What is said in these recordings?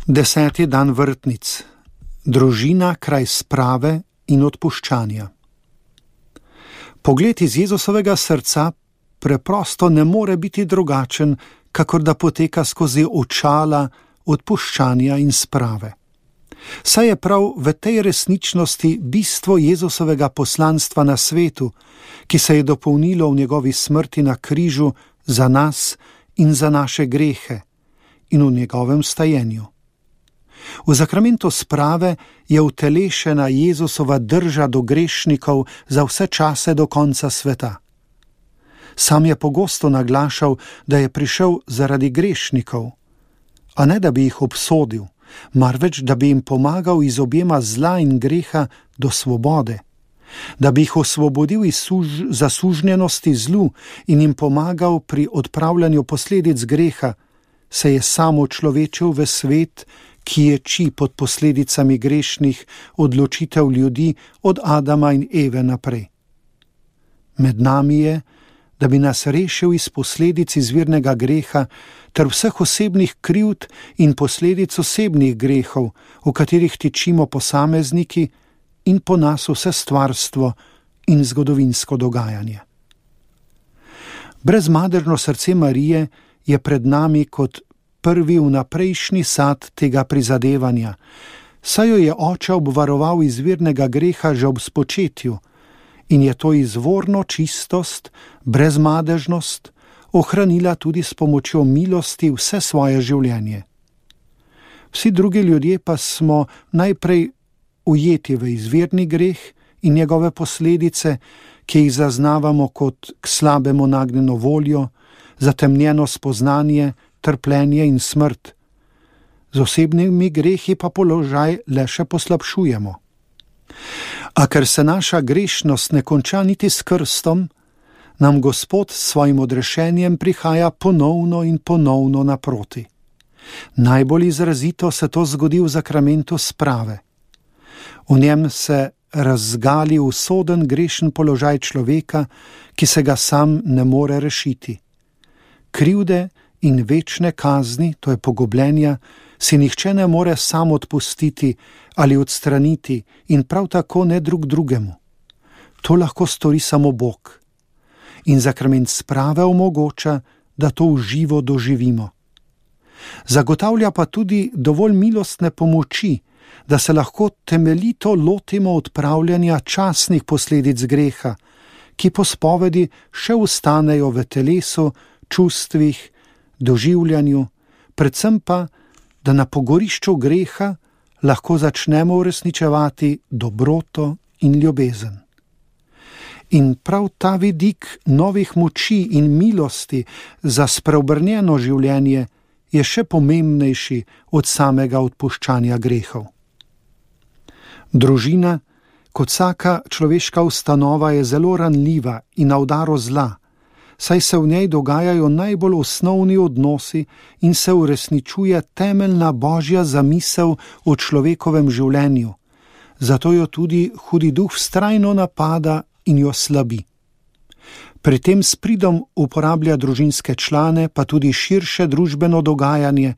10. dan vrtnic. Družina kraj sprave in odpuščanja. Pogled iz Jezusovega srca preprosto ne more biti drugačen, kakor da poteka skozi očala odpuščanja in sprave. Saj je prav v tej resničnosti bistvo Jezusovega poslanstva na svetu, ki se je dopolnilo v njegovi smrti na križu za nas in za naše grehe in v njegovem stajenju. V zakramentu sprave je utelešena Jezusova drža do grešnikov za vse čase do konca sveta. Sam je pogosto naglašal, da je prišel zaradi grešnikov, a ne da bi jih obsodil, marveč da bi jim pomagal iz objema zla in greha do svobode, da bi jih osvobodil iz zasužnjenosti zlu in jim pomagal pri odpravljanju posledic greha, se je sam človečil v svet, ki ječi pod posledicami grešnih odločitev ljudi od Adama in Eve naprej. Med nami je, da bi nas rešil iz posledic izvirnega greha ter vseh osebnih krivd in posledic osebnih grehov, v katerih tičimo posamezniki in po nas vse stvarstvo in zgodovinsko dogajanje. Brezmadežno srce Marije je pred nami kot prvi vnaprejšnji sad tega prizadevanja, saj jo je oče obvaroval izvirnega greha že ob spočetju in je to izvorno čistost, brezmadežnost ohranila tudi s pomočjo milosti vse svoje življenje. Vsi drugi ljudje pa smo najprej ujeti v izvirni greh in njegove posledice, ki jih zaznavamo kot k slabemu nagnjeno voljo, zatemnjeno spoznanje, trpljenje in smrt. Z osebnimi grehi pa položaj le še poslabšujemo. A ker se naša grešnost ne konča niti s krstom, nam Gospod s svojim odrešenjem prihaja ponovno in ponovno naproti. Najbolj izrazito se to zgodi v zakramentu sprave. V njem se razgali usoden grešen položaj človeka, ki se ga sam ne more rešiti. Krivde in večne kazni, to je pogubljenja, si nihče ne more sam odpustiti ali odstraniti in prav tako ne drug drugemu. To lahko stori samo Bog. In zakrament sprave omogoča, da to v živo doživimo. Zagotavlja pa tudi dovolj milostne pomoči, da se lahko temeljito lotimo odpravljanja časnih posledic greha, ki po spovedi še ostanejo v telesu, čustvih, doživljanju, predvsem pa, da na pogorišču greha lahko začnemo uresničevati dobroto in ljubezen. In prav ta vidik novih moči in milosti za spreobrnjeno življenje je še pomembnejši od samega odpuščanja grehov. Družina, kot vsaka človeška ustanova, je zelo ranljiva in na udaru zla, saj se v njej dogajajo najbolj osnovni odnosi in se uresničuje temeljna božja zamisel o človekovem življenju, zato jo tudi hudi duh vztrajno napada in jo slabi. Pri tem s pridom uporablja družinske člane, pa tudi širše družbeno dogajanje,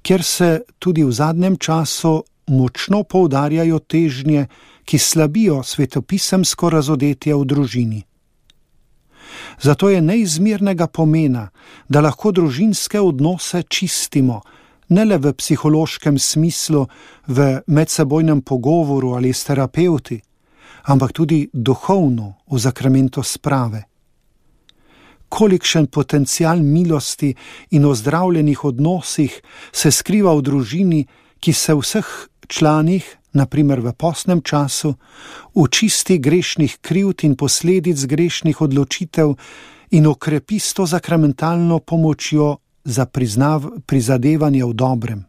kjer se tudi v zadnjem času močno poudarjajo težnje, ki slabijo svetopisemsko razodetje v družini. Zato je neizmernega pomena, da lahko družinske odnose čistimo, ne le v psihološkem smislu, v medsebojnem pogovoru ali s terapevti, ampak tudi duhovno v zakramentu sprave. Kolikšen potencial milosti in ozdravljenih odnosih se skriva v družini, ki se vseh članih, naprimer v postnem času, očisti grešnih krivd in posledic grešnih odločitev in okrepi s to zakramentalno pomočjo za prizadevanje v dobrem.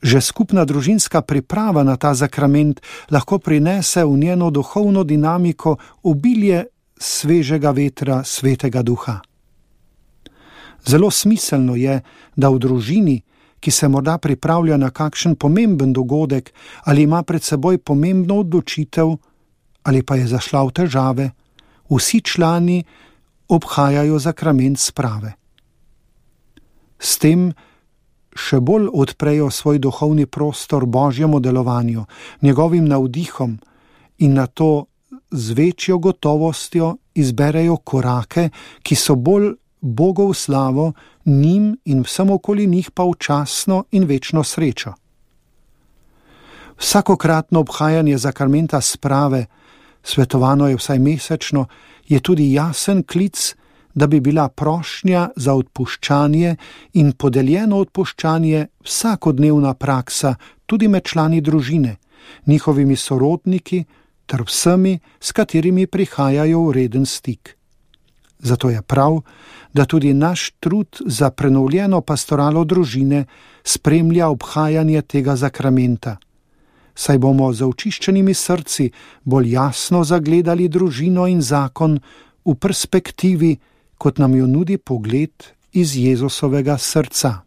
Že skupna družinska priprava na ta zakrament lahko prinese v njeno duhovno dinamiko obilje svežega vetra svetega duha. Zelo smiselno je, da v družini, ki se morda pripravlja na kakšen pomemben dogodek ali ima pred seboj pomembno odločitev ali pa je zašla v težave, vsi člani obhajajo zakrament sprave. S tem še bolj odprejo svoj duhovni prostor Božjemu delovanju, njegovim navdihom in na to z večjo gotovostjo izberejo korake, ki so bolj Bogu v slavo, njim in vsem okoli njih pa v časno in večno srečo. Vsakokratno obhajanje zakramenta sprave, svetovano je vsaj mesečno, je tudi jasen klic, da bi bila prošnja za odpuščanje in podeljeno odpuščanje vsakodnevna praksa tudi med člani družine, njihovimi sorodniki ter vsemi, s katerimi prihajajo v reden stik. Zato je prav, da tudi naš trud za prenovljeno pastoralo družine spremlja obhajanje tega zakramenta. Saj bomo z očiščenimi srci bolj jasno zagledali družino in zakon v perspektivi, kot nam jo nudi pogled iz Jezusovega srca.